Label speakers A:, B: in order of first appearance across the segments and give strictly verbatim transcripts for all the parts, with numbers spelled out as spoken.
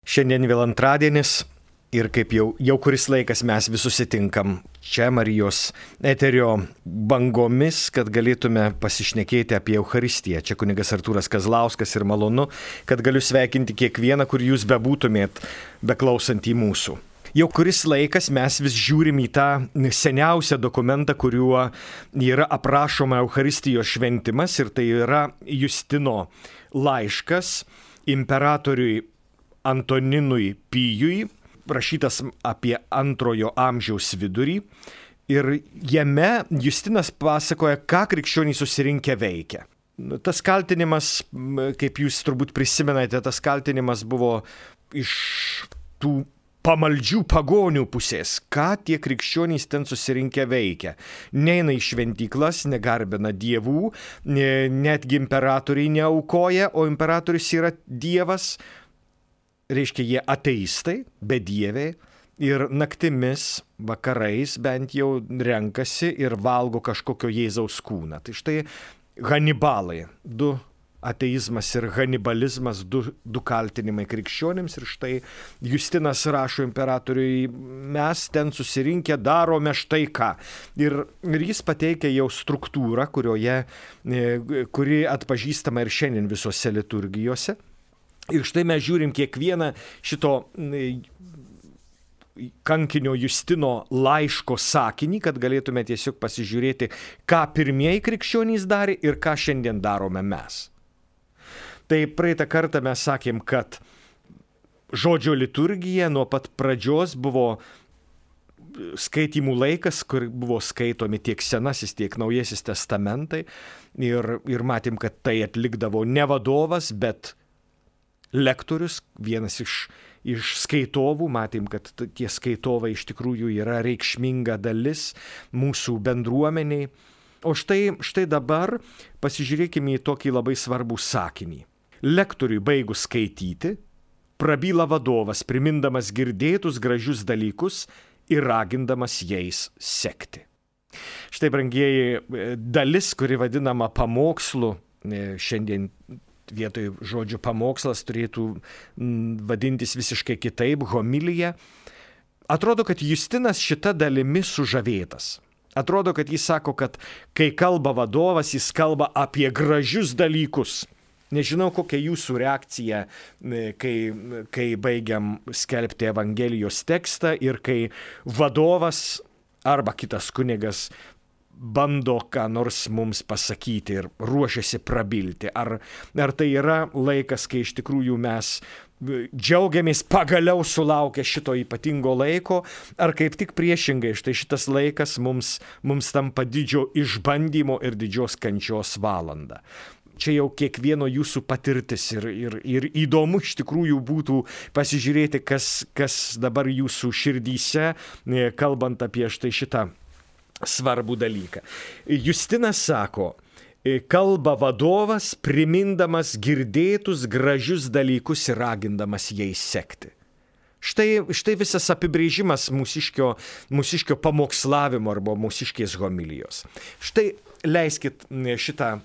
A: Šiandien vėl antradienis ir kaip jau, jau kuris laikas mes vis susitinkam čia Marijos eterio bangomis, kad galėtume pasišnekėti apie Eucharistiją. Čia kunigas Artūras Kazlauskas ir malonu, kad galiu sveikinti kiekvieną, kur jūs bebūtumėt, beklausant į mūsų. Jau kuris laikas mes vis žiūrim į tą seniausią dokumentą, kuriuo yra aprašoma Eucharistijos šventimas, ir tai yra Justino laiškas imperatoriui Antoninui Pijui, rašytas apie antrojo amžiaus vidurį, ir jame Justinas pasakoja, ką krikščionys susirinkę veikia. Tas kaltinimas, kaip jūs turbūt prisimenate, tas kaltinimas buvo iš tų pamaldžių pagonių pusės, ką tie krikščionys ten susirinkę veikia. Neina į šventyklas, negarbina dievų, netgi imperatoriai neaukoja, o imperatorius yra dievas. Reiškia, jie ateistai, bedieviai, ir naktimis, vakarais bent jau renkasi ir valgo kažkokio Jėzaus kūną. Tai štai Hanibalai, du ateizmas ir hanibalizmas, du, du kaltinimai krikščionims, ir štai Justinas rašo imperatoriui, mes ten susirinkę darome štai ką. Ir, ir jis pateikia jau struktūrą, kurioje, kuri atpažįstama ir šiandien visose liturgijose. Ir štai mes žiūrim kiekvieną šito kankinio Justino laiško sakinį, kad galėtume tiesiog pasižiūrėti, ką pirmieji krikščionys darė ir ką šiandien darome mes. Tai praeitą kartą mes sakėm, kad žodžio liturgija nuo pat pradžios buvo skaitymų laikas, kur buvo skaitomi tiek Senasis, tiek Naujasis testamentai. Ir, ir matėm, kad tai atlikdavo ne vadovas, bet lektorius, vienas iš, iš skaitovų. Matėm, kad tie skaitovai iš tikrųjų yra reikšminga dalis mūsų bendruomeniai. O štai, štai dabar pasižiūrėkime į tokį labai svarbų sakinį. Lektoriui baigus skaityti, prabyla vadovas, primindamas girdėtus gražius dalykus ir ragindamas jais sekti. Štai, brangieji, dalis, kuri vadinama pamokslu, šiandien vietoj žodžio pamokslas turėtų vadintis visiškai kitaip, homilija. Atrodo, kad Justinas šita dalimi sužavėtas. Atrodo, kad jis sako, kad kai kalba vadovas, jis kalba apie gražius dalykus. Nežinau, kokia jūsų reakcija, kai, kai baigiam skelbti Evangelijos tekstą ir kai vadovas arba kitas kunigas bando ką nors mums pasakyti ir ruošiasi prabilti. Ar, ar tai yra laikas, kai iš tikrųjų mes džiaugiamės pagaliau sulaukę šito ypatingo laiko, ar kaip tik priešingai, štai šitas laikas mums, mums tampa didžio išbandymo ir didžios kančios valanda. Čia jau kiekvieno jūsų patirtis ir, ir, ir įdomu iš tikrųjų būtų pasižiūrėti, kas, kas dabar jūsų širdyse, kalbant apie štai šitą svarbų dalyką. Justinas sako, kalba vadovas, primindamas girdėtus gražius dalykus ir ragindamas jais sekti. Štai, štai visas apibrėžimas mūsiškio, mūsiškio pamokslavimo arba mūsiškės homilijos. Štai leiskit šitą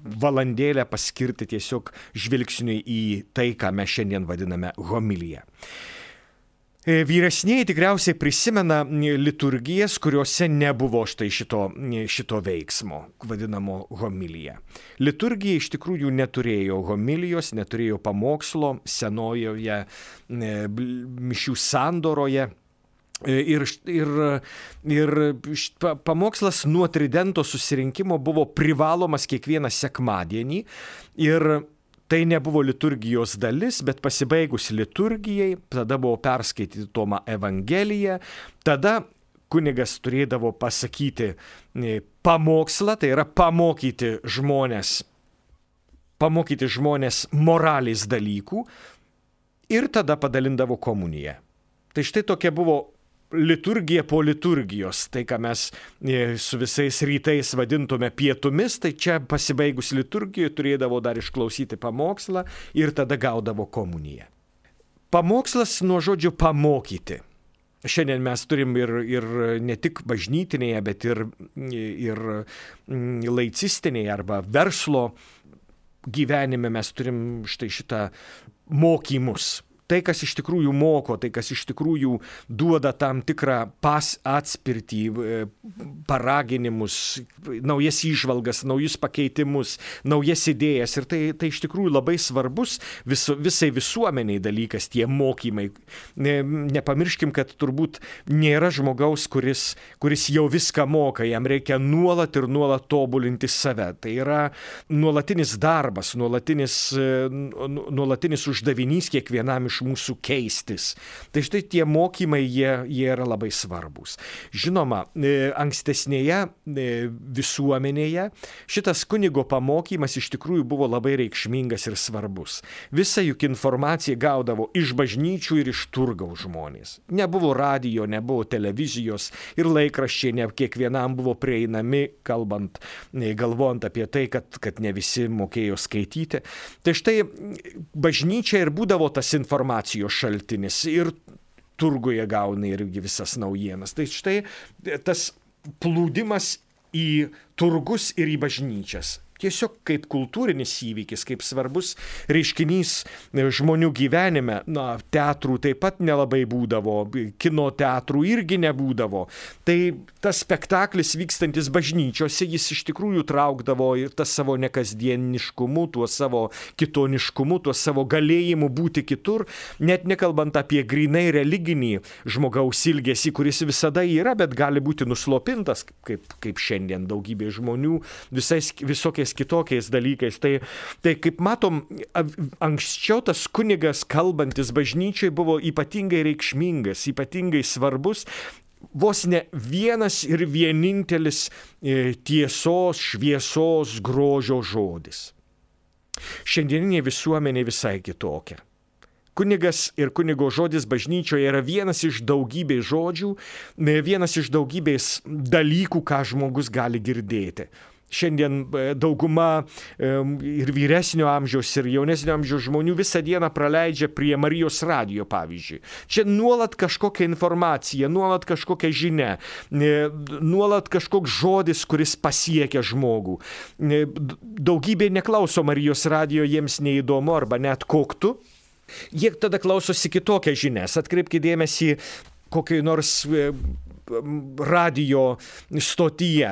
A: valandėlę paskirti tiesiog žvilgsniui į tai, ką mes šiandien vadiname homilija. Vyresnieji tikriausiai prisimena liturgijas, kuriuose nebuvo štai šito, šito veiksmo, vadinamo homilija. Liturgija iš tikrųjų neturėjo homilijos, neturėjo pamokslo senojoje mišių sandoroje. Ir, ir, ir pamokslas nuo tridento susirinkimo buvo privalomas kiekvieną sekmadienį, ir tai nebuvo liturgijos dalis, bet pasibaigus liturgijai, tada buvo perskaityti Tomą Evangeliją, tada kunigas turėdavo pasakyti pamokslą, tai yra pamokyti žmonės, pamokyti žmonės moralės dalykų, ir tada padalindavo komuniją. Tai štai tokia buvo liturgija po liturgijos, tai ką mes su visais rytais vadintume pietumis, tai čia pasibaigus liturgijoje turėdavo dar išklausyti pamokslą ir tada gaudavo komuniją. Pamokslas nuo žodžio pamokyti. Šiandien mes turim ir, ir ne tik bažnytinėje, bet ir, ir laicistinėje arba verslo gyvenime mes turim štai šitą mokymus. tai, kas iš tikrųjų moko, tai, kas iš tikrųjų duoda tam tikrą pas atspirtį, paraginimus, naujas įžvalgas, naujus pakeitimus, naujas idėjas. Ir tai, tai iš tikrųjų labai svarbus vis, visai visuomeniai dalykas, tie mokymai. Nepamirškim, kad turbūt nėra žmogaus, kuris, kuris jau viską moka, jam reikia nuolat ir nuolat tobulinti save. Tai yra nuolatinis darbas, nuolatinis, nuolatinis uždavinys kiekvienam iš mūsų keistis. Tai štai tie mokymai, jie, jie yra labai svarbus. Žinoma, ankstesnėje visuomenėje šitas kunigo pamokymas iš tikrųjų buvo labai reikšmingas ir svarbus. Visa juk informacija gaudavo iš bažnyčių ir iš turgaus žmonės. Nebuvo radijo, nebuvo televizijos ir laikraščiai ne kiekvienam buvo prieinami, kalbant, galvojant apie tai, kad, kad ne visi mokėjo skaityti. Tai štai bažnyčia ir būdavo tas informacijos šaltinis ir turguje gauna irgi visas naujienas. Tai štai tas plūdimas į turgus ir į bažnyčias. Tiesiog kaip kultūrinis įvykis, kaip svarbus reiškinys žmonių gyvenime. Na, teatrų taip pat nelabai būdavo, kino teatrų irgi nebūdavo. Tai tas spektaklis vykstantis bažnyčiose, jis iš tikrųjų traukdavo ir tas savo nekasdieniškumu, tuo savo kitoniškumu, tuo savo galėjimu būti kitur, net nekalbant apie grynai religinį žmogaus ilgesį, kuris visada yra, bet gali būti nuslopintas, kaip, kaip šiandien daugybė žmonių, visais, visokiais kitokiais dalykais. Tai, tai kaip matom, anksčiau tas kunigas kalbantis bažnyčiai buvo ypatingai reikšmingas, ypatingai svarbus, vos ne vienas ir vienintelis tiesos, šviesos, grožio žodis. Šiandieninė visuomenė visai kitokia. Kunigas ir kunigo žodis bažnyčioje yra vienas iš daugybės žodžių, vienas iš daugybės dalykų, ką žmogus gali girdėti. Šiandien dauguma ir vyresnio amžiaus, ir jaunesnio amžiaus žmonių visą dieną praleidžia prie Marijos radijo, pavyzdžiui. Čia nuolat kažkokia informacija, nuolat kažkokia žinia, nuolat kažkoks žodis, kuris pasiekia žmogų. Daugybė neklauso Marijos radijo, jiems neįdomu arba net koktu. Jie tada klausosi kitokią žinias. Atkreipkite dėmesį kokiai nors radijo stotyje.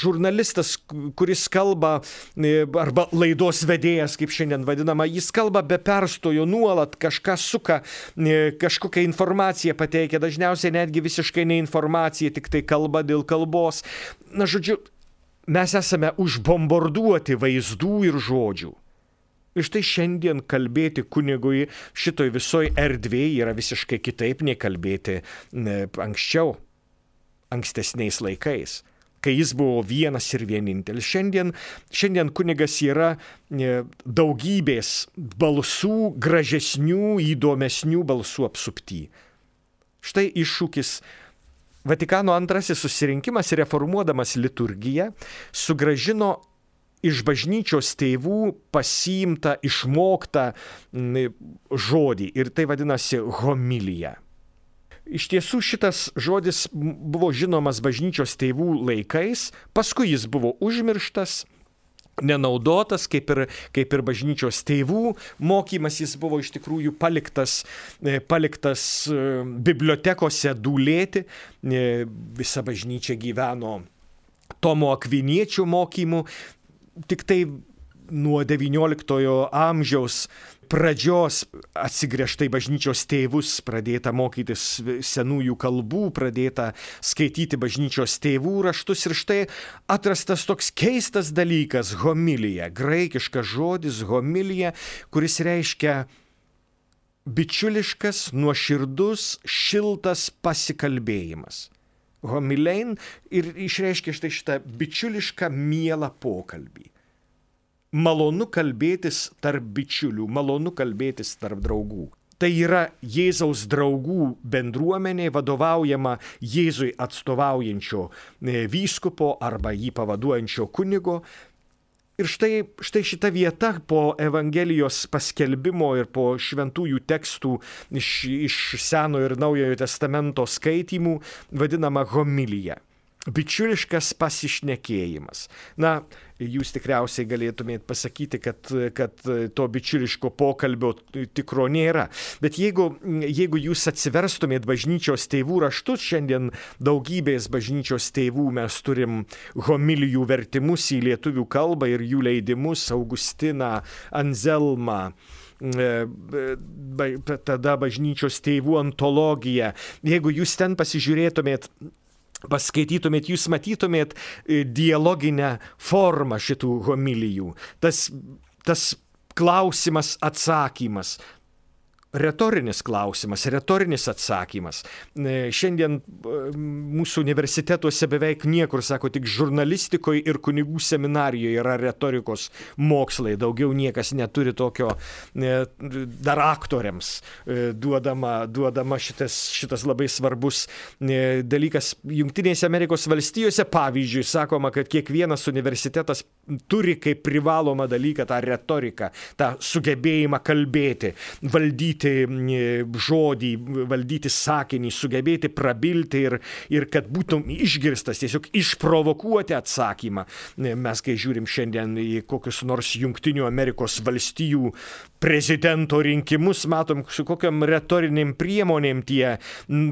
A: Žurnalistas, kuris kalba, arba laidos vedėjas, kaip šiandien vadinama, jis kalba be perstojo, nuolat kažką suka, kažkokią informaciją pateikia, dažniausiai netgi visiškai ne informacija, tik tai kalba dėl kalbos. Na, žodžiu, mes esame užbombarduoti vaizdų ir žodžių. Ir štai šiandien kalbėti kunigui šitoj visoj erdvėje yra visiškai kitaip nei kalbėti anksčiau, ankstesniais laikais, kai jis buvo vienas ir vienintelis. Šiandien, šiandien kunigas yra daugybės balsų, gražesnių, įdomesnių balsų apsupty. Štai iššūkis. Vatikano antrasis susirinkimas, reformuodamas liturgiją, sugrąžino iš bažnyčios tėvų pasiimtą, išmoktą žodį. Ir tai vadinasi homilija. Iš tiesų šitas žodis buvo žinomas bažnyčios tėvų laikais, paskui jis buvo užmirštas, nenaudotas, kaip ir, kaip ir bažnyčios tėvų mokymas, jis buvo iš tikrųjų paliktas, paliktas bibliotekose dūlėti. Visa bažnyčia gyveno Tomo Akviniečio mokymu. Tik tai nuo devynioliktojo amžiaus pradžios atsigręžta į bažnyčios tėvus, pradėta mokytis senųjų kalbų, pradėta skaityti bažnyčios tėvų raštus ir štai atrastas toks keistas dalykas – homilija, graikiškas žodis homilija, kuris reiškia bičiuliškas, nuoširdus, šiltas pasikalbėjimas. Homilein ir išreiškia štai šitą bičiulišką mielą pokalbį. Malonu kalbėtis tarp bičiulių, malonu kalbėtis tarp draugų. Tai yra Jėzaus draugų bendruomenė vadovaujama Jėzui atstovaujančio vyskupo arba jį pavaduojančio kunigo. Ir štai, štai šita vieta po Evangelijos paskelbimo ir po šventųjų tekstų iš, iš Senojo ir Naujojo testamento skaitymų vadinama homilija. bičiuliškas pasišnekėjimas. Na, jūs tikriausiai galėtumėt pasakyti, kad, kad to bičiuliško pokalbio tikro nėra. Bet jeigu, jeigu jūs atsiverstumėt bažnyčios tėvų raštus, šiandien daugybės bažnyčios tėvų mes turim homilijų vertimus į lietuvių kalbą ir jų leidimus, Augustiną, Anzelmą, tada bažnyčios tėvų antologija. Jeigu jūs ten pasižiūrėtumėt, paskaitytumėt, jūs matytumėt dialoginę formą šitų homilijų. Tas, tas klausimas, atsakymas. Retorinis klausimas, retorinis atsakymas. Šiandien mūsų universitetuose beveik niekur, sako, tik žurnalistikoje ir kunigų seminarijoje yra retorikos mokslai. Daugiau niekas neturi tokio, dar aktoriams duodama, duodama šitas, šitas labai svarbus dalykas. Jungtinėse Amerikos valstijose, pavyzdžiui, sakoma, kad kiekvienas universitetas turi kaip privalomą dalyką tą retoriką, tą sugebėjimą kalbėti, valdyti žodį, valdyti sakinį, sugebėti prabilti ir, ir kad būtum išgirstas, tiesiog išprovokuoti atsakymą. Mes, kai žiūrim šiandien į kokius nors Jungtinių Amerikos valstijų prezidento rinkimus, matom, su kokiam retoriniam priemonėm tie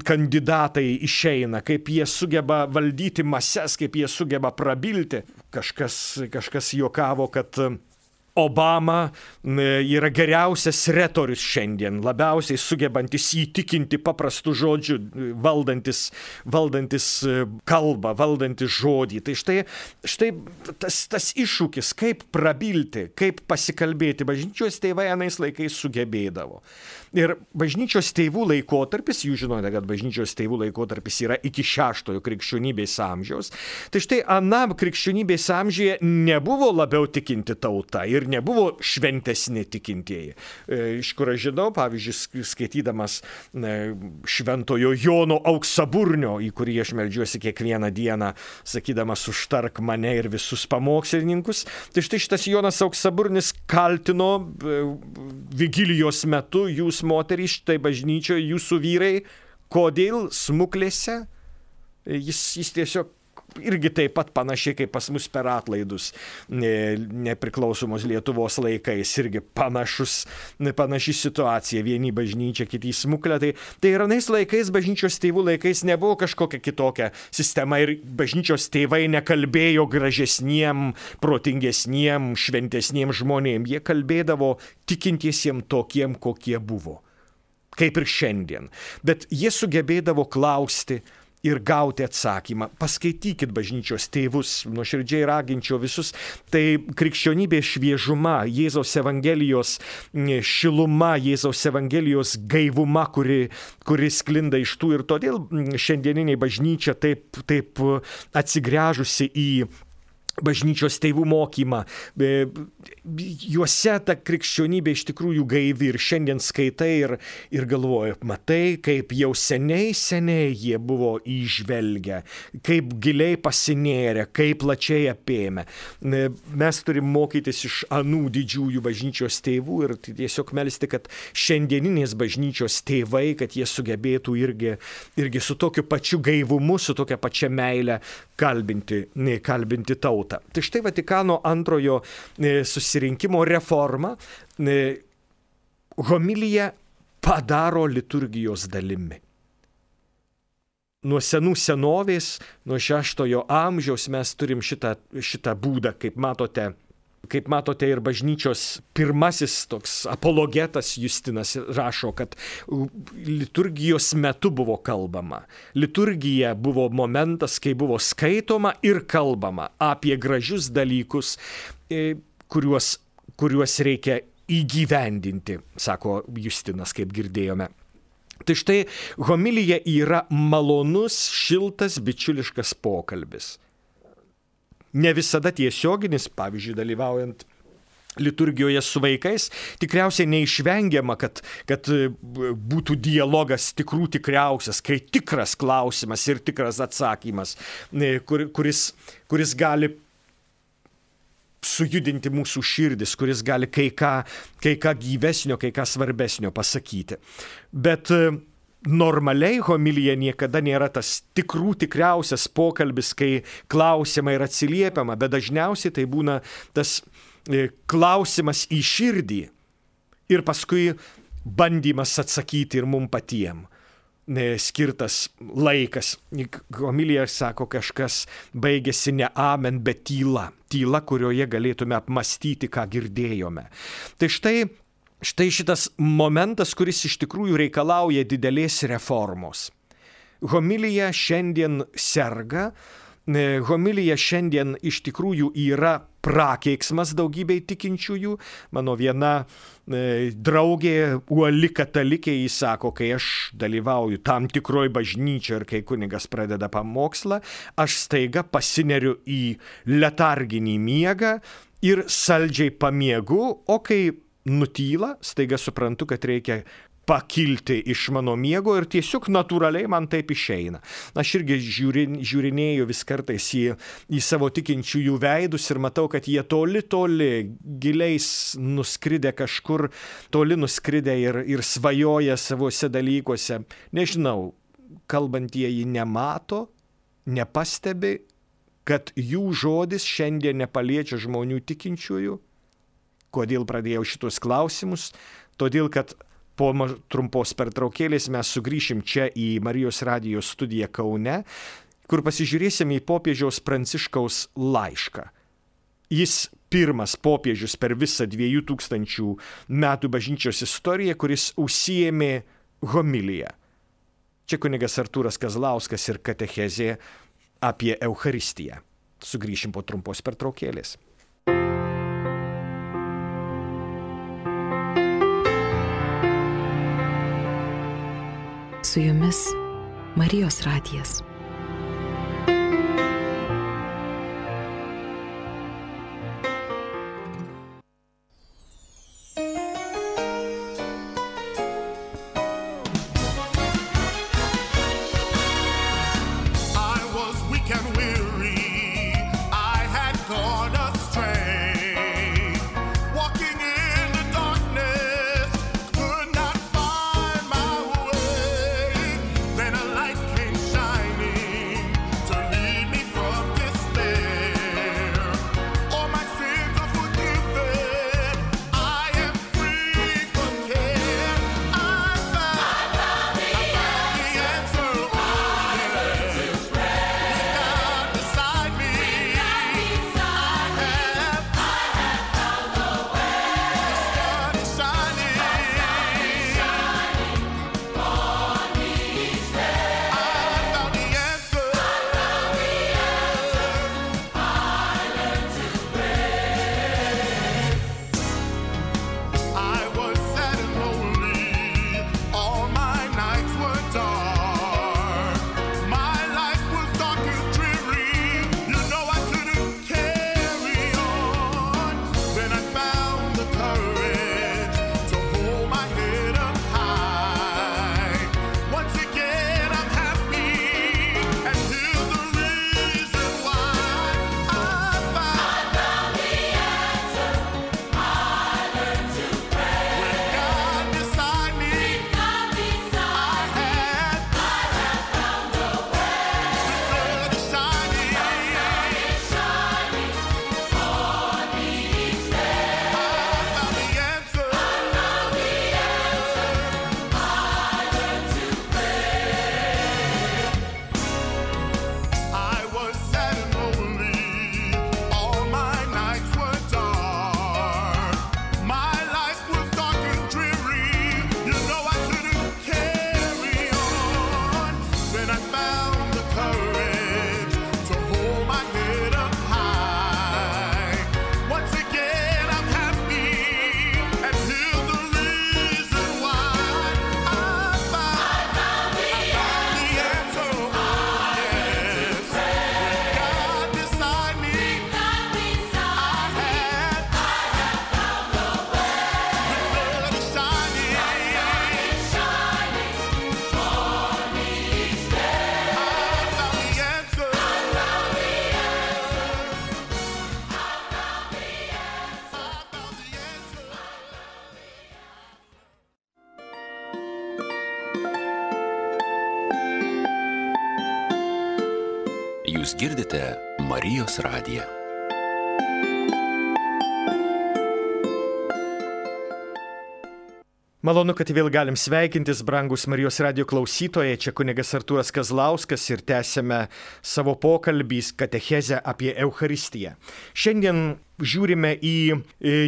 A: kandidatai išeina, kaip jie sugeba valdyti mases, kaip jie sugeba prabilti. Kažkas, kažkas juokavo, kad Obama yra geriausias retorius šiandien, labiausiai sugebantis įtikinti paprastų žodžių, valdantis, valdantis kalbą, valdantis žodį. Tai štai, štai tas, tas iššūkis, kaip prabilti, kaip pasikalbėti, bažnyčios tėvai anais laikais sugebėdavo. Ir bažnyčios tėvų laikotarpis, jūs žinote, kad bažnyčios tėvų laikotarpis yra iki šeštojo krikščionybės amžiaus, tai štai anam krikščionybės amžiuje nebuvo labiau tikinti tauta ir nebuvo šventesni tikintieji. Iš kur aš žinau, pavyzdžiui, skaitydamas šventojo Jono Auksaburnio, į kurį aš meldžiuosi kiekvieną dieną, sakydamas užtark mane ir visus pamokslininkus, tai štai šitas Jonas Auksaburnis kaltino vigilijos metu jūs moterys štai bažnyčioje, jūsų vyrai, kodėl smuklėse, jis, jis tiesiog irgi taip pat panašiai kaip pas mus per atlaidus nepriklausomos Lietuvos laikais, irgi panašus, panaši situacija, vieni bažnyčia, kiti smuklė. Tai, tai ir anais laikais, bažnyčios tėvų laikais nebuvo kažkokia kitokia sistema ir bažnyčios tėvai nekalbėjo gražesniem, protingesniem, šventesniem žmonėm. Jie kalbėdavo tikintiesiem tokiem, kokie buvo. Kaip ir šiandien. Bet jie sugebėdavo klausti ir gauti atsakymą. Paskaitykit bažnyčios tėvus, nuoširdžiai raginčiau visus. Tai krikščionybės šviežuma, Jėzaus Evangelijos šiluma, Jėzaus Evangelijos gaivuma, kuri, kuri sklinda iš tų ir todėl šiandieniniai bažnyčia taip, taip atsigręžusi į bažnyčios tėvų mokymą. Juose ta krikščionybė iš tikrųjų gaivi ir šiandien skaitai ir, ir galvoju, matai, kaip jau seniai, seniai jie buvo įžvelgę, kaip giliai pasinėrę, kaip plačiai apėmę. Mes turim mokytis iš anų didžiųjų bažnyčios tėvų ir tiesiog melsti, kad šiandieninės bažnyčios tėvai, kad jie sugebėtų irgi, irgi su tokiu pačiu gaivumu, su tokia pačia meile kalbinti, kalbinti tautą. Tai štai Vatikano antrojo susirinkimo reforma homiliją padaro liturgijos dalimi. Nuo senų senovės, nuo šeštojo amžiaus mes turim šitą, šitą būdą, kaip matote, kaip matote ir bažnyčios pirmasis toks apologetas Justinas rašo, kad liturgijos metu buvo kalbama. Liturgija buvo momentas, kai buvo skaitoma ir kalbama apie gražius dalykus, kuriuos, kuriuos reikia įgyvendinti, sako Justinas, kaip girdėjome. Tai štai homilija yra malonus, šiltas, bičiuliškas pokalbis. Ne visada tiesioginis, pavyzdžiui, dalyvaujant liturgijoje su vaikais, tikriausiai neišvengiama, kad, kad būtų dialogas tikrų tikriausias, kai tikras klausimas ir tikras atsakymas, kur, kuris, kuris gali sujudinti mūsų širdis, kuris gali kai ką, kai ką gyvesnio, kai ką svarbesnio pasakyti. Bet normaliai homilija niekada nėra tas tikrų tikriausias pokalbis, kai klausiama ir atsiliepiama, bet dažniausiai tai būna tas klausimas į širdį ir paskui bandymas atsakyti ir mum patiem skirtas laikas. Homilija, sako kažkas, baigėsi ne amen, bet tyla. Tyla, kurioje galėtume apmastyti, ką girdėjome. Tai štai Štai šitas momentas, kuris iš tikrųjų reikalauja didelės reformos. Homilija šiandien serga, homilija šiandien iš tikrųjų yra prakeiksmas daugybei tikinčiųjų. Mano viena e, draugė, uoli katalikė, jis sako, kai aš dalyvauju tam tikroj bažnyčioje ir kai kunigas pradeda pamokslą, aš staiga pasineriu į letarginį miegą ir saldžiai pamiegu, o kai nutyla, staiga suprantu, kad reikia pakilti iš mano miego ir tiesiog natūraliai man taip išeina. Aš irgi žiūrin, žiūrinėju vis kartais į, į savo tikinčiųjų veidus ir matau, kad jie toli, toli, giliais nuskridę kažkur, toli nuskridę ir, ir svajoja savose dalykuose. Nežinau, kalbantieji nemato, nepastebi, kad jų žodis šiandien nepaliečia žmonių tikinčiųjų. Kodėl pradėjau šitus klausimus? Todėl, kad po trumpos pertraukėlės mes sugrįšim čia į Marijos radijo studiją Kaune, kur pasižiūrėsim į popiežiaus Pranciškaus laišką. Jis pirmas popiežius per visą dviejų tūkstančių metų bažnyčios istoriją, kuris užsiėmė homiliją. Čia kunigas Artūras Kazlauskas ir katechezė apie Eucharistiją. Sugrįšim po trumpos pertraukėlės.
B: Su jumis Marijos radijas.
C: Shining Jūs girdite Marijos radiją.
A: Malonu, kad vėl galim sveikintis, brangus Marijos radijo klausytojai. Čia kunigas Artūras Kazlauskas ir tęsime savo pokalbį katechezę apie Eucharistiją. Šiandien žiūrime į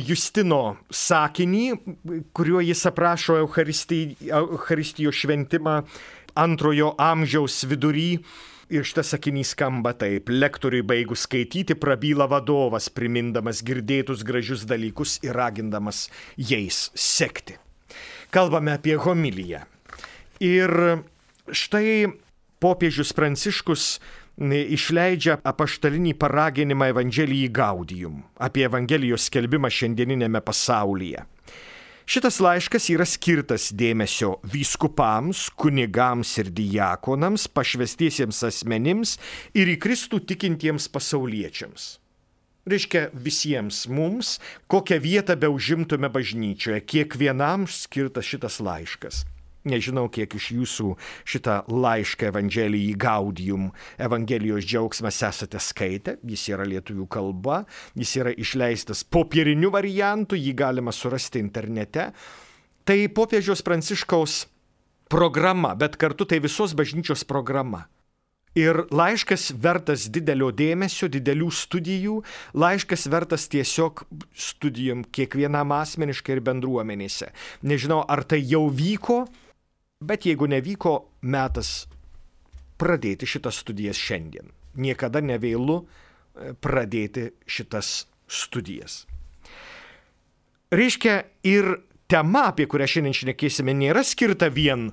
A: Justino sakinį, kuriuo jis aprašo Eucharistijos šventimą antrojo amžiaus vidury. Ir šitas sakinys skamba taip: lektoriui baigus skaityti, prabyla vadovas, primindamas girdėtus gražius dalykus ir ragindamas jais sekti. Kalbame apie homiliją. Ir štai popiežius Pranciškus išleidžia apaštalinį paraginimą Evangelijai Gaudium apie Evangelijos skelbimą šiandieninėme pasaulyje. Šitas laiškas yra skirtas dėmesio vyskupams, kunigams ir diakonams, pašvestiesiems asmenims ir į Kristų tikintiems pasauliečiams. Reiškia visiems mums, kokią vietą beužimtume bažnyčioje, kiekvienam skirtas šitas laiškas. Nežinau, kiek iš jūsų šitą laišką Evangelijai Gaudium, Evangelijos džiaugsmas esate skaitę, jis yra lietuvių kalba, jis yra išleistas popieriniu variantu, jį galima surasti internete. Tai popiežiaus Pranciškaus programa, bet kartu tai visos bažnyčios programa. Ir laiškas vertas didelio dėmesio, didelių studijų, laiškas vertas tiesiog studijom kiekvienam asmeniškai ir bendruomenėse. Nežinau, ar tai jau vyko, bet jeigu nevyko, metas pradėti šitas studijas šiandien. Niekada nevėlu pradėti šitas studijas. Reiškia, ir tema, apie kurią šiandien šnekėsime, nėra skirta vien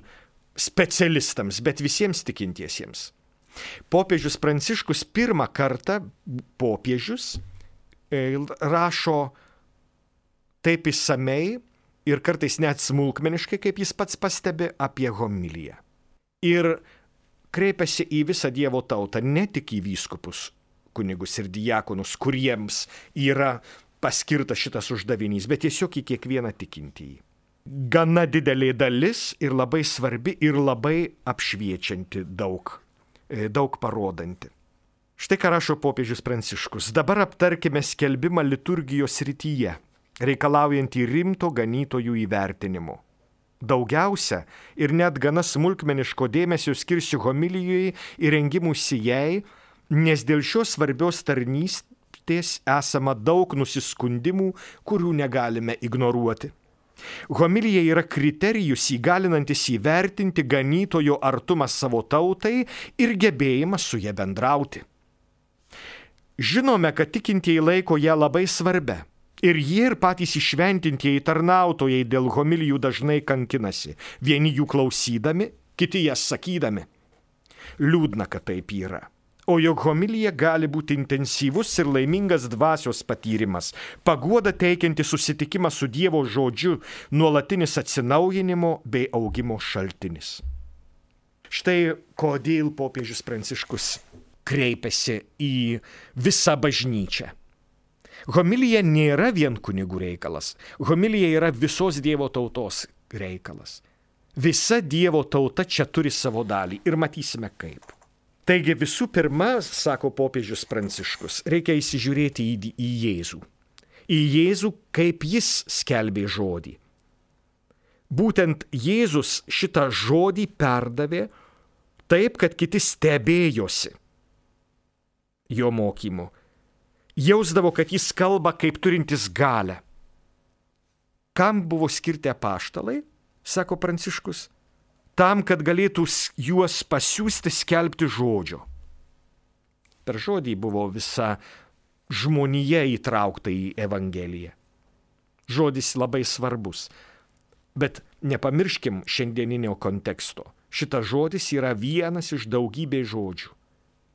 A: specialistams, bet visiems tikintiesiems. Popiežius Pranciškus pirmą kartą popiežius rašo taip išsamei ir kartais net smulkmeniškai, kaip jis pats pastebi, apie homiliją. Ir kreipiasi į visą Dievo tautą, ne tik į vyskupus, kunigus ir diakonus, kuriems yra paskirtas šitas uždavinys, bet tiesiog į kiekvieną tikintįjį. Gana didelė dalis ir labai svarbi ir labai apšviečianti daug. daug parodanti. Štai ką rašo popiežius Pranciškus. Dabar aptarkime skelbimą liturgijos srityje, reikalaujantį rimto ganytojų įvertinimo. Daugiausia ir net gana smulkmeniško dėmesio skirsiu homilijai ir rengimusi jai, nes dėl šios svarbios tarnystės esama daug nusiskundimų, kurių negalime ignoruoti. Homilija yra kriterijus įgalinantis įvertinti ganytojo artumą savo tautai ir gebėjimą su ja bendrauti. Žinome, kad tikintieji laiko ją labai svarbia ir jie ir patys įšventintieji tarnautojai dėl homilijų dažnai kankinasi, vieni jų klausydami, kiti jas sakydami. Liūdna, kad taip yra. O jog homilija gali būti intensyvus ir laimingas dvasios patyrimas, paguoda teikianti susitikimą su Dievo žodžiu, nuolatinis atsinaujinimo bei augimo šaltinis. Štai kodėl popiežius Pranciškus kreipiasi į visą bažnyčią. Homilija nėra vien kunigų reikalas, homilija yra visos Dievo tautos reikalas. Visa Dievo tauta čia turi savo dalį ir matysime kaip. Taigi visų pirma, sako popiežius Pranciškus, reikia įsižiūrėti į, į Jėzų. Į Jėzų, kaip jis skelbė žodį. Būtent Jėzus šitą žodį perdavė taip, kad kiti stebėjosi jo mokymu. Jausdavo, kad jis kalba kaip turintis galią. Kam buvo skirti apaštalai, sako Pranciškus? Tam, kad galėtų juos pasiųsti skelbti žodžio. Per žodį buvo visa žmonija įtraukta į Evangeliją. Žodis labai svarbus, bet nepamirškim šiandieninio konteksto. Šitas žodis yra vienas iš daugybės žodžių.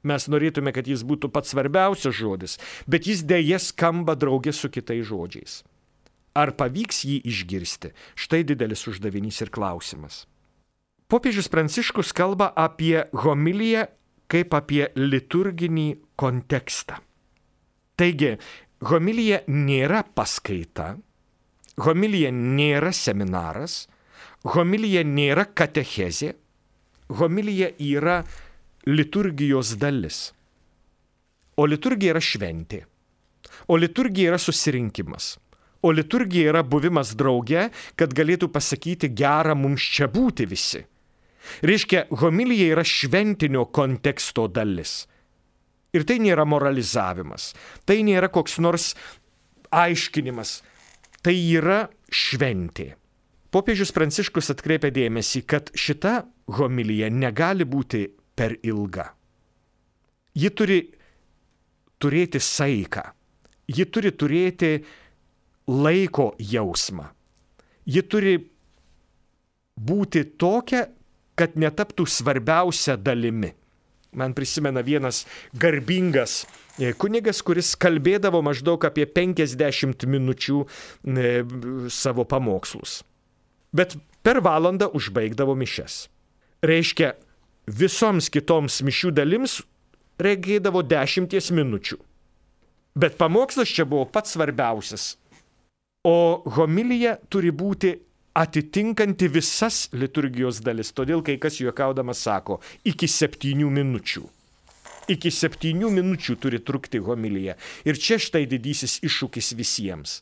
A: Mes norėtume, kad jis būtų pats svarbiausias žodis, bet jis dėja skamba drauge su kitais žodžiais. Ar pavyks jį išgirsti? Štai didelis uždavinys ir klausimas. Popiežius Pranciškus kalba apie homiliją kaip apie liturginį kontekstą. Taigi, homilija nėra paskaita, homilija nėra seminaras, homilija nėra katechezė, homilija yra liturgijos dalis. O liturgija yra šventė. O liturgija yra susirinkimas. O liturgija yra buvimas drauge, kad galėtų pasakyti gera mums čia būti visi. Reiškia, homilija yra šventinio konteksto dalis. Ir tai nėra moralizavimas, tai nėra koks nors aiškinimas, tai yra šventė. Popiežius Pranciškus atkreipia dėmesį, kad šita homilija negali būti per ilga. Ji turi turėti saiką, ji turi turėti laiko jausmą, ji turi būti tokia, kad netaptų svarbiausia dalimi. Man prisimena vienas garbingas kunigas, kuris kalbėdavo maždaug apie penkiasdešimt minučių savo pamokslus. Bet per valandą užbaigdavo mišias. Reiškia, visoms kitoms mišių dalims reikėdavo dešimties minučių. Bet pamokslas čia buvo pats svarbiausias. O homilija turi būti atitinkanti visas liturgijos dalis. Todėl kai kas juokaudamas sako, iki septynių minučių. Iki septynių minučių turi trukti homilija. Ir čia štai didysis iššūkis visiems.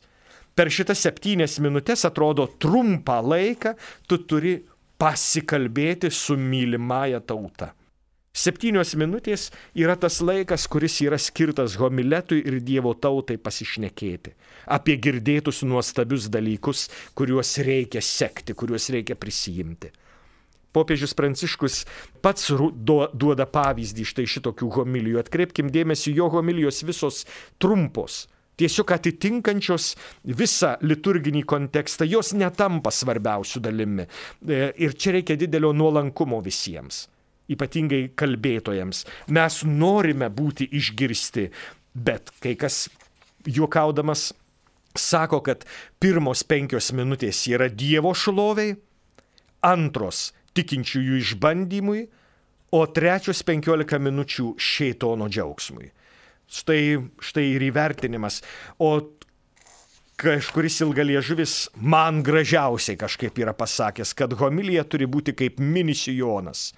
A: Per šitas septynias minutės, atrodo trumpą laiką, tu turi pasikalbėti su mylimąja tauta. Septynios minutės yra tas laikas, kuris yra skirtas homiletui ir Dievo tautai pasišnekėti. Apie girdėtus nuostabius dalykus, kuriuos reikia sekti, kuriuos reikia prisijimti. Popiežius Pranciškus pats duoda pavyzdį štai šitokių homilijų. Atkreipkim dėmesį, jo homilijos visos trumpos, tiesiog atitinkančios visą liturginį kontekstą, jos netampa svarbiausių dalimi. Ir čia reikia didelio nuolankumo visiems. Ypatingai kalbėtojams. Mes norime būti išgirsti, bet kai kas juokaudamas sako, kad pirmos penkios minutės yra Dievo šloviai, antros tikinčiųjų išbandymui, o trečios penkiolika minučių šėtono džiaugsmui. Štai, štai ir įvertinimas. O kažkuris ilgaliežuvis man gražiausiai kažkaip yra pasakęs, kad homilija turi būti kaip mini sijonas.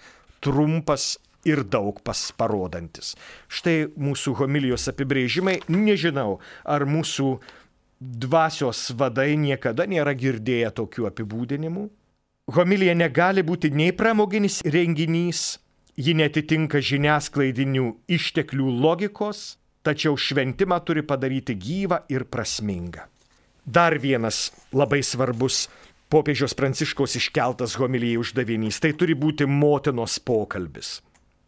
A: Trumpas ir daug pasparodantis. Štai mūsų homilijos apibrėžimai. Nežinau, ar mūsų dvasios vadai niekada nėra girdėję tokių apibūdinimų. Homilija negali būti nei pramoginis renginys, ji netitinka žiniasklaidinių išteklių logikos, tačiau šventimą turi padaryti gyvą ir prasmingą. Dar vienas labai svarbus popiežiaus Pranciškaus iškeltas homilijai uždavinys. Tai turi būti motinos pokalbis.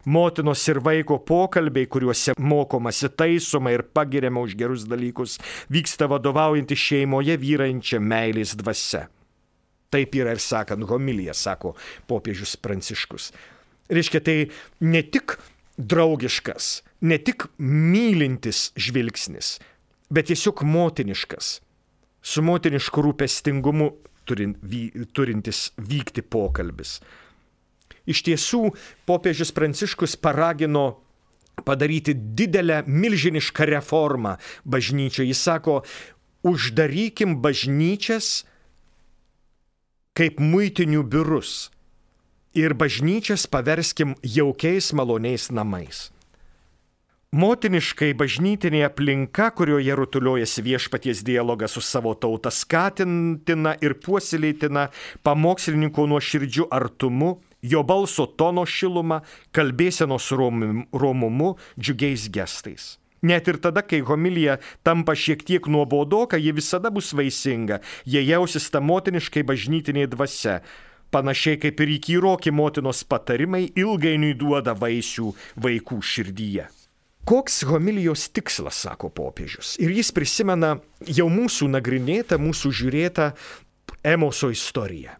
A: Motinos ir vaiko pokalbiai, kuriuose mokomasi taisoma ir pagiriama už gerus dalykus, vyksta vadovaujanti šeimoje vyraujančia meilės dvasia. Taip yra ir sakant homilija, sako popiežius Pranciškus. Reiškia, tai ne tik draugiškas, ne tik mylintis žvilgsnis, bet tiesiog motiniškas, su motinišku rūpestingumu turintis vykti pokalbis. Iš tiesų, popiežius Pranciškus paragino padaryti didelę, milžinišką reformą bažnyčioje. Jis sako, uždarykim bažnyčias kaip muitinių biurus ir bažnyčias paverskim jaukiais, maloniais namais. Motiniškai bažnytinė aplinka, kurioje rutuliojasi viešpaties dialogas su savo tauta, skatintina ir puoselėtina pamokslininko nuoširdžiu artumu, jo balso tono šiluma, kalbėsenos romumu, džiugiais gestais. Net ir tada, kai homilija tampa šiek tiek nuobodoka, ji visada bus vaisinga, jie jausis ta motiniškai bažnytinė dvasia. Panašiai kaip ir įkyroki motinos patarimai ilgainiui duoda vaisių vaikų širdyje. Koks homilijos tikslas, sako popiežius. Ir jis prisimena jau mūsų nagrinėtą, mūsų žiūrėtą Emoso istoriją.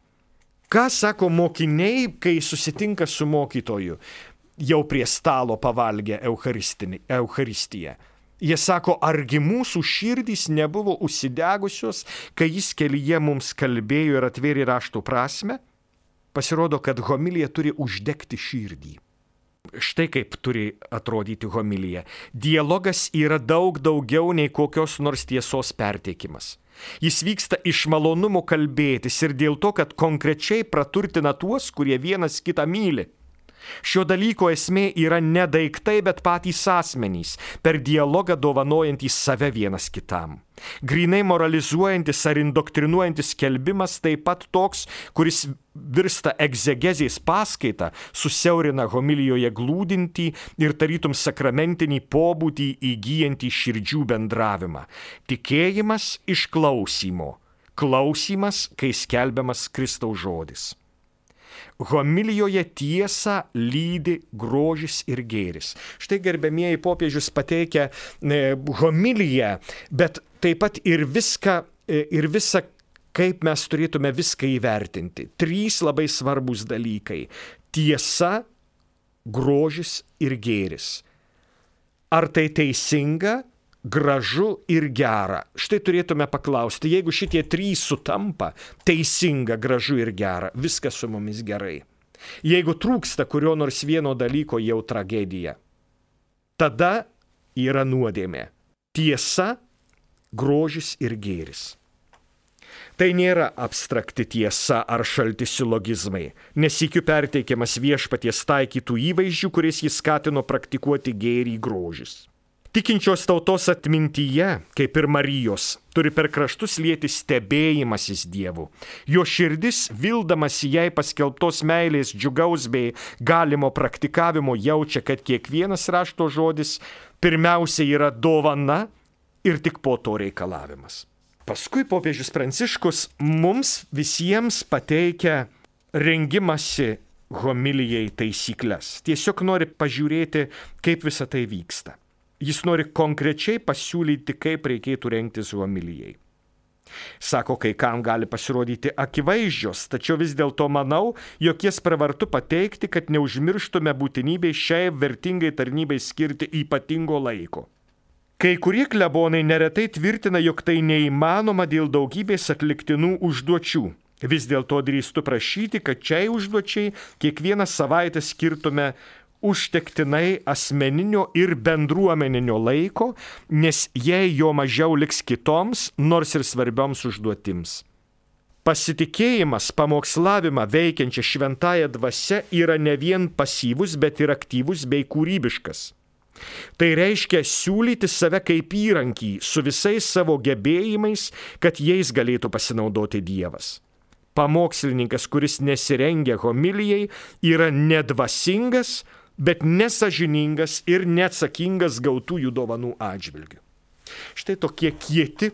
A: Ką sako mokiniai, kai susitinka su mokytoju, jau prie stalo pavalgę Eucharistiją. Jie sako, argi mūsų širdys nebuvo užsidegusios, kai jis kelyje mums kalbėjo ir atvėrė rašto prasmę? Pasirodo, kad homilija turi uždegti širdį. Štai kaip turi atrodyti homilija. Dialogas yra daug daugiau nei kokios nors tiesos perteikimas. Jis vyksta iš malonumo kalbėtis ir dėl to, kad konkrečiai praturtina tuos, kurie vienas kitą myli. Šio dalyko esmė yra ne daiktai, bet patys asmenys, per dialogą dovanojantys save vienas kitam. Grynai moralizuojantis ar indoktrinuojantis skelbimas taip pat toks, kuris virsta egzegezės paskaita, susiaurina homilijoje glūdintį ir tarytum sakramentinį pobūdį įgyjantį širdžių bendravimą. Tikėjimas iš klausymo, klausymas, kai skelbiamas Kristaus žodis. Homilijoje tiesą lydi grožis ir gėris. Štai gerbiamieji popiežius pateikia e, homiliją, bet taip pat ir viską, e, ir visą, kaip mes turėtume viską įvertinti. Trys labai svarbus dalykai. Tiesa, grožis ir gėris. Ar tai teisinga, gražu ir gera? Štai turėtume paklausti, jeigu šitie trys sutampa, teisinga, gražu ir gera, viskas su mumis gerai. Jeigu trūksta kurio nors vieno dalyko, jau tragedija. Tada yra nuodėmė. Tiesa, grožis ir gėris. Tai nėra abstrakti tiesa ar šalti silogizmai, nesykiu perteikiamas viešpaties taikytų įvaizdžių, kuriais jis skatino praktikuoti gėrį grožis. Tikinčios tautos atmintyje, kaip ir Marijos, turi per kraštus lieti stebėjimasis Dievu. Jo širdis, vildamas jai paskelbtos meilės džiugaus bei galimo praktikavimo, jaučia, kad kiekvienas rašto žodis pirmiausia yra dovana ir tik po to reikalavimas. Paskui popiežius Pranciškus mums visiems pateikia rengimasi homilijai taisyklės. Tiesiog nori pažiūrėti, kaip visa tai vyksta. Jis nori konkrečiai pasiūlyti, kaip reikėtų rengtis homilijai. Sako, kai kam gali pasirodyti akivaizdžios, tačiau vis dėlto manau, jog jas pravartu pateikti, kad neužmirštume būtinybei šiai vertingai tarnybai skirti ypatingo laiko. Kai kurie klebonai neretai tvirtina, jog tai neįmanoma dėl daugybės atliktinų užduočių. Vis dėlto drįstu prašyti, kad šiai užduočiai kiekvieną savaitę skirtume užtektinai asmeninio ir bendruomeninio laiko, nes jei jo mažiau liks kitoms, nors ir svarbioms užduotims. Pasitikėjimas pamokslavimą veikiančia šventąja dvasia yra ne vien pasyvus, bet ir aktyvus bei kūrybiškas. Tai reiškia siūlyti save kaip įrankį su visais savo gebėjimais, kad jais galėtų pasinaudoti Dievas. Pamokslininkas, kuris nesirengia homilijai, yra nedvasingas, bet nesažiningas ir neatsakingas gautųjų dovanų atžvilgių. Štai tokie kieti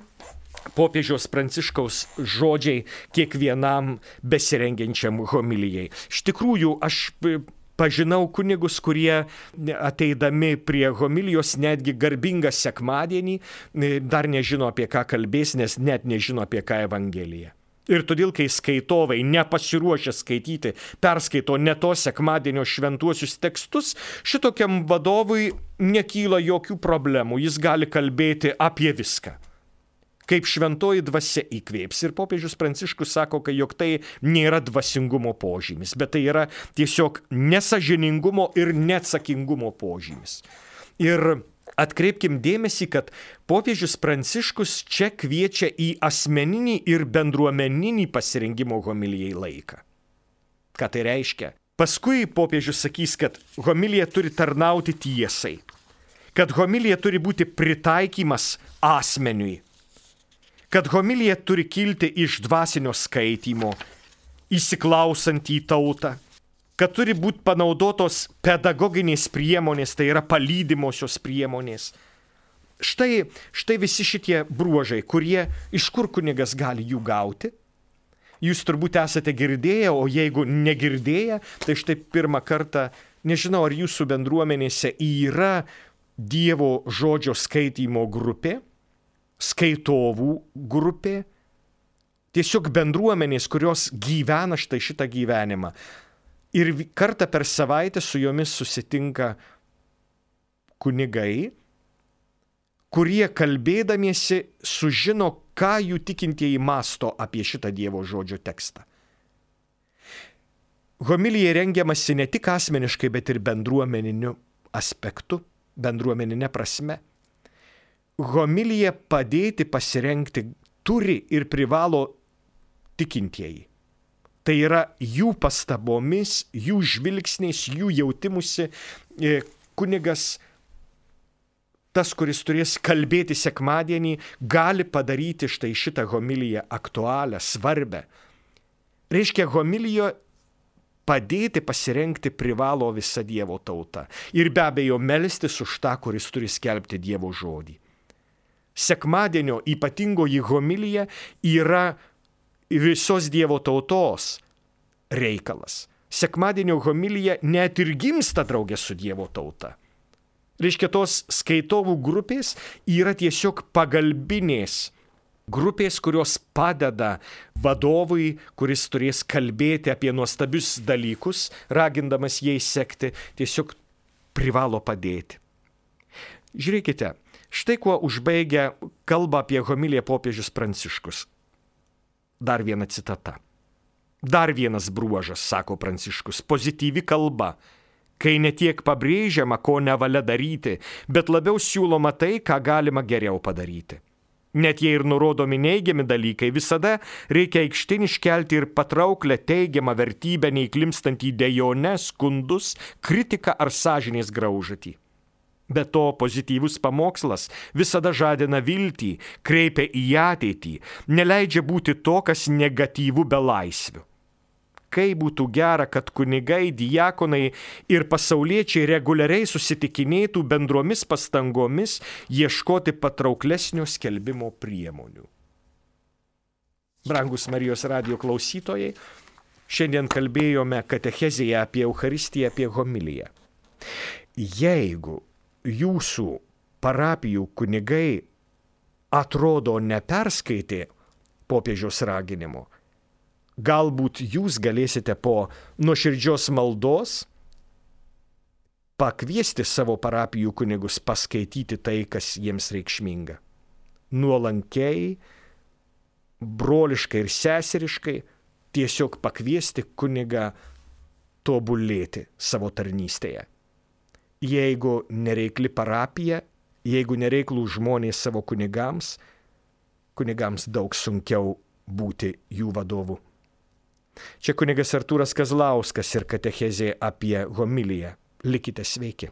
A: popiežiaus Pranciškaus žodžiai kiekvienam besirengiančiam homilijai. Iš tikrųjų, aš pažinau kunigus, kurie ateidami prie homilijos netgi garbingą sekmadienį dar nežino, apie ką kalbės, nes net nežino, apie ką Evangelija. Ir todėl, kai skaitovai nepasiruošę skaityti, perskaito ne to sekmadienio šventuosius tekstus, šitokiam vadovui nekyla jokių problemų, jis gali kalbėti apie viską. Kaip šventoji dvasia įkvėps. Ir popiežius Pranciškus sako, kad jog tai nėra dvasingumo požymis, bet tai yra tiesiog nesažiningumo ir neatsakingumo požymis. Ir atkreipkim dėmesį, kad popiežius Pranciškus čia kviečia į asmeninį ir bendruomeninį pasirengimo homilijai laiką. Ką tai reiškia? Paskui popiežius sakys, kad homilija turi tarnauti tiesai, kad homilija turi būti pritaikymas asmeniui, kad homilija turi kilti iš dvasinio skaitymo, įsiklausant į tautą, kad turi būti panaudotos pedagoginės priemonės, tai yra palydimosios priemonės. Štai, štai visi šitie bruožai, kurie iš kur kunigas gali jų gauti. Jūs turbūt esate girdėję, o jeigu negirdėję, tai štai pirmą kartą, nežinau, ar jūsų bendruomenėse yra Dievo žodžio skaitymo grupė, skaitovų grupė, tiesiog bendruomenės, kurios gyvena štai šitą gyvenimą. Ir kartą per savaitę su jomis susitinka kunigai, kurie kalbėdamiesi sužino, ką jų tikintieji mąsto apie šitą Dievo žodžio tekstą. Homilijai rengiamasi ne tik asmeniškai, bet ir bendruomeniniu aspektu, bendruomeninė prasme. Homilija padėti pasirengti turi ir privalo tikintieji. Tai yra jų pastabomis, jų žvilgsniais, jų jautimusi kunigas, tas, kuris turės kalbėti sekmadienį, gali padaryti štai šitą homiliją aktualią, svarbę. Reiškia, homilijo padėti pasirengti privalo visa Dievo tauta. Ir be abejo melstis už tą, kuris turi skelbti Dievo žodį. Sekmadienio ypatingoji homilija yra visos Dievo tautos reikalas. Sekmadienio homilija net ir gimsta draugė su Dievo tauta. Reiškia, tos skaitovų grupės yra tiesiog pagalbinės grupės, kurios padeda vadovui, kuris turės kalbėti apie nuostabius dalykus, ragindamas jais sekti, tiesiog privalo padėti. Žiūrėkite, štai kuo užbaigia kalbą apie homiliją popiežius Pranciškus. Dar viena citata. Dar vienas bruožas, sako Pranciškus, pozityvi kalba, kai ne tiek pabrėžiama, ko nevalia daryti, bet labiau siūloma tai, ką galima geriau padaryti. Net jei ir nurodomi neigiami dalykai, visada reikia aikštėn iškelti ir patrauklę teigiamą vertybę, neįklimstant į dejones, skundus, kritiką ar sąžinės graužatį. Be to, pozityvus pamokslas visada žadina viltį, kreipia į ateitį, neleidžia būti to, kas negatyvų be laisvių. Kaip būtų gera, kad kunigai, diakonai ir pasauliečiai reguliariai susitikinėtų bendromis pastangomis ieškoti patrauklesnio skelbimo priemonių. Brangus Marijos radijo klausytojai, šiandien kalbėjome katechezėje apie Eucharistiją, apie homiliją. Jeigu jūsų parapijų kunigai atrodo neperskaitė popiežiaus raginimo, galbūt jūs galėsite po nuoširdžios maldos pakviesti savo parapijų kunigus paskaityti tai, kas jiems reikšminga. Nuolankiai, broliškai ir seseriškai tiesiog pakviesti kunigą tobulėti savo tarnystėje. Jeigu nereikli parapija, jeigu nereiklų žmonės savo kunigams, kunigams daug sunkiau būti jų vadovu. Čia kunigas Artūras Kazlauskas ir katechezė apie homiliją. Likite sveiki.